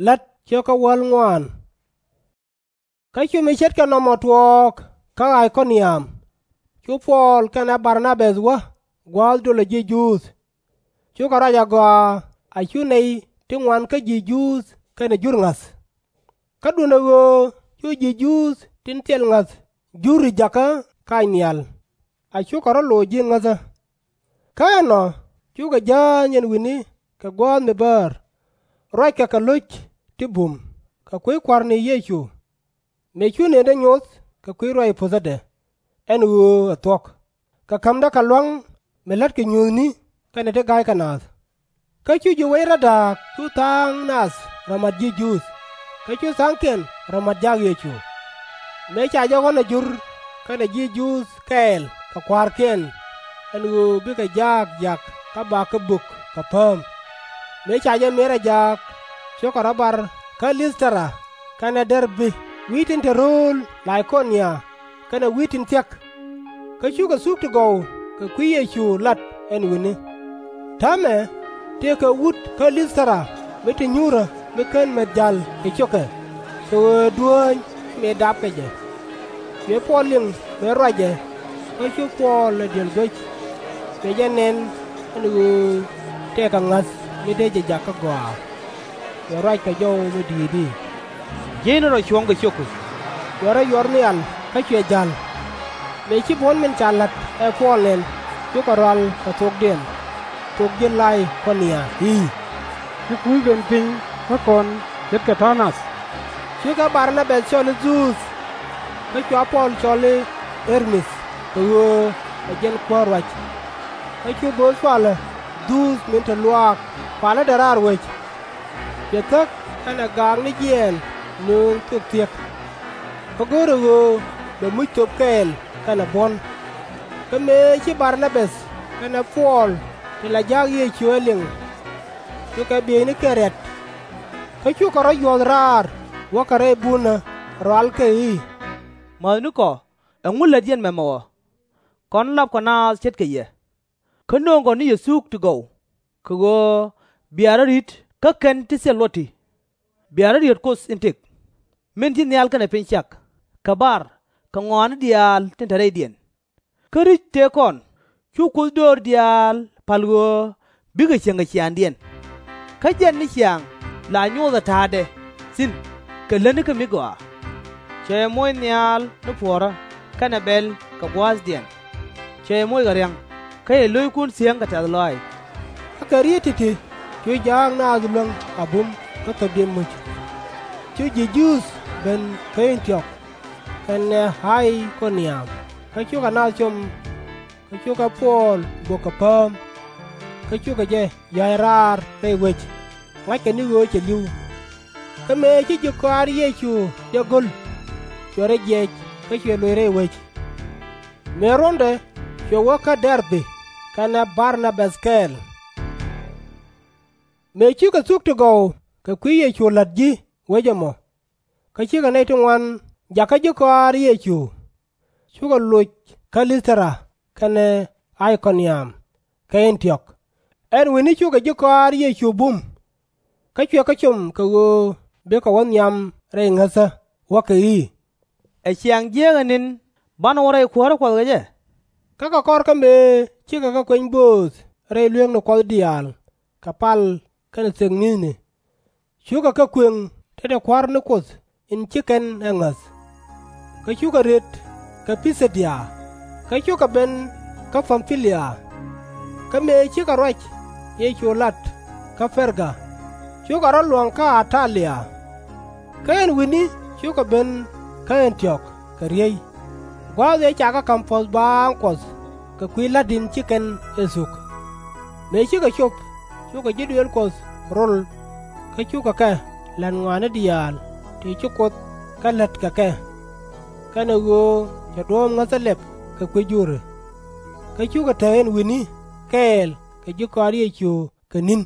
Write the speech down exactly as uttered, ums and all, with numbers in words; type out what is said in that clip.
La̱t 3 Kä cu mi ce̱tkɛ nɔmɔ tuɔɔk kä Ay-kɔ-niam, cu Puɔl kɛnɛ Bar-na-bäth wä gua̱a̱th dolɛ ji̱ Juudh. Cukɛ ruac agɔaa a cu nɛy ti ŋuan kä ji̱ Juudh kɛnɛ Jur ŋa̱th. Kä duundɛ ɣöö cu ji̱ Juudh tin thil ŋa̱th Juri jakä kac nhial, a cukɛ rɔ̱ loc ji̱ ŋäthä. Kä ɛnɔ cukɛ jääny ɛn wi̱ni kɛ guäth mi bäär, ruackɛ kɛ lo̱c ti bum kɛ kui̱ Kua̱r ni Yecu, mëë cu nëëdɛ nyoth kɛ kui̱ ruac puthädɛ, ɛn ɣöö ɛ thuɔ̱k, kɛ ka̱mdä kɛ lua̱ŋ mi la̱tkɛ nyuuthni kɛnɛ ti ga̱ykɛ naath. Kä cu ji̱ wec rɔ da̱a̱k cu tha̱a̱ŋ nath rɔ mat ji̱ Juudh, kä cu tha̱a̱ŋkiɛn rɔ mat jak Yecu. Mëë ca jɛ ɣɔ̱n a Jur kɛnɛ ji̱ Juudh kɛɛl kɛ kua̱rkiɛn, ɛn ɣöö bikɛ jaak jiak kä bakɛ bök kɛ pääm. Mëë ca jɛ mier a jaak, cukɛ rɔ̱ bar kä Lith-tɛ-ra kɛnɛ Dɛr-bi, wi̱i̱ tin te rööl La-yi-ko-nia kɛnɛ wi̱i̱ tin thia̱k. Kä cukɛ thuk ti gɔw kɛ kui̱ Yecu lat ɛn wi̱ni. Täämɛ tëëkɛ wut kä Lith-tɛ-ra mi te nyuurä mi /ken mɛth ja̱l kɛ ciökɛ, kɛ ɣöö duääny mëë dapkɛ jɛ. Cuɛ Puɔl liŋ mëë ruacɛ, kä cu Puɔl ɛ di̱el guäc, cuɛ jɛ nɛn ɛn ɣöö tëëkɛ ŋa̱th mi dee jɛ jakä gɔaa. Cuɛ ruac kɛ jɔw mi di̱i̱t i̱, Jiɛcni rɔ cuɔ̱ŋ kɛ ciökku. Cuɛ rɔ yuɔr nhial kä cuɛ ja̱l. Mëë ci buɔ̱n min ca la̱t ɛ Puɔl nɛn, cukɛ rual kɛ thokdiɛn, thok ji̱ La-yi-ko-nia i̱, Ci kui̱ ben piny kä kɔn ce̱tkɛ tɔ̱ nath. Cukɛ Bar-na-bäth cɔl i̱ Dhuuth, kä cua Puɔl cɔl i̱ Ɛr-mith, kɛ ɣöö ɛ jɛn kuäär ruac. Kä cu bööth palä Dhuuth min te luaak palädɛ raar wec. Cuɛ thäk kɛnɛ gaak ni jiɛɛn nööŋ thok thiek, kä go̱o̱rɛ ɣöö bɛ muc thöp kɛɛl kɛnɛ buɔ̱n. Kä mëë ci Bar-na-bäth kɛnɛ Puɔl ti la jaak Yecu ɛ liŋ, cukɛ bieynikɛ riat. Kä cukɛ rɔ̱ yuɔ̱th raar wäkɛ rɛy bunä rualkɛ i̱, Mäthnikɔ, ɛŋu lät yɛn mɛmɛ ɔ? Kɔn lapkɔ naath ce̱tkɛ yɛ, kä nööŋkɔ ni yɛ thuk ti gɔw, kɛ ɣöö bia rɔ̱ ri̱t kä kɛn ti thil luɔt ti, bia rɔ̱ riet Kuoth in tëk, min ci nhial kɛnɛ piny cak, kɛ bar kɛ ŋɔaani diaal tin te rɛydiɛn. Kä ri̱c tëë kɔn, cu Kuoth döör diaal pa̱l ɣöö bikɛ cieŋ kɛ ciaaŋdiɛn. Kä jɛn ni ciaŋ la nyothɛ ta̱a̱dɛ thi̱n kɛ lätni kä mi gɔaa. Cɛ yɛ moc nhial ni puɔ̱ɔ̱rä kɛnɛ bɛl kɛ gua̱a̱thdiɛn. Cɛ yɛ moc kɛ ria̱ŋ, kä cɛ lo̱ckun thiäŋ kɛ tɛ̈th lɔaac. Kä kɛ rieet ti̱ti̱ cu ja̱a̱k naath luäŋ a bum kä thöpdiɛn muc. Cu ji̱ Juudh ben kä Ɛ̈n-ti-ɔk kɛnɛ Ay-ko-niam, kä cukɛ naath com. Kä cukɛ Puɔl bok kɛ pääm, kä cukɛ jɛ ya̱c raar rɛy wec, ŋa̱ckɛ ni ɣöö cɛ li̱w. Kä mëë ci ji̱ kɔaar Yecu jɛ go̱l, cuɛ rɔ jiɛc kä cuɛ loc rɛy wec. Mëë ruɔ̱ndɛ cuɛ wä kä Dɛr-bi kɛnɛ Bar-na-bäth kɛɛl. Mëë cikɛ thuk ti gɔw kɛ kui̱ Yecu la̱t ji̱ wec ɛmɔ, kä cikɛ nɛy ti ŋuan jakä ji̱ kɔaar Yecu, cukɛ loc kä Lith-tɛ-ra kɛnɛ Ay-ko-niam kɛ Ɛ̈n-ti-ɔk. Ɛn wi̱ni cukɛ ji̱ kɔaar Yecu bum, kä cuɛ kɛ com kɛ ɣöö bikɛ wä nhiam rɛy ŋäthä, wäkɛ i̱, Ɛ ciaŋ jiääk ɛ ni̱n banɛ wä rɛy kuäärä Kuɔth kɛ jɛ? Kä kɛ kɔr kä mëë cikɛ kɛ kuany bööth rɛy lueekni Kuɔth diaal kɛ pal kɛnɛ thek mi̱thni, cukɛ kɛ kuëŋ tetdɛ Kua̱r ni Kuoth in ci kɛn ɛ ŋäth. Kä cukɛ riet kɛ Pi-thi-dia, kä cukɛ ben kä Pam-pi-lia. Kä mëë cikɛ ruac Yecu lat kä Per-ga, cukɛ rɔ̱ luɔ̱ŋ kä At-ta-lia. Kä ɛn wi̱ni cukɛ ben kä Ɛ̈n-ti-ɔk kɛ riey, gua̱a̱th ëë cakɛ ka̱m puɔ̱th baaŋ Kuɔth kɛ kui̱ la̱t in ci kɛn ɛ thuk. Mëë cikɛ cop, cukɛ ji̱ duëël Kuɔth rol, kä cukɛ kɛ la̱t ŋɔaani diaal ti ci Kuoth kɛ la̱t kɛ kɛ, kɛnɛ ɣöö cɛ duɔ̱ɔ̱p ŋäthä lɛp kɛ kui̱ Juri. Kä cukɛ te ɛn wi̱ni kɛɛl kɛ ji̱ kɔaar Yecu kɛ ni̱n.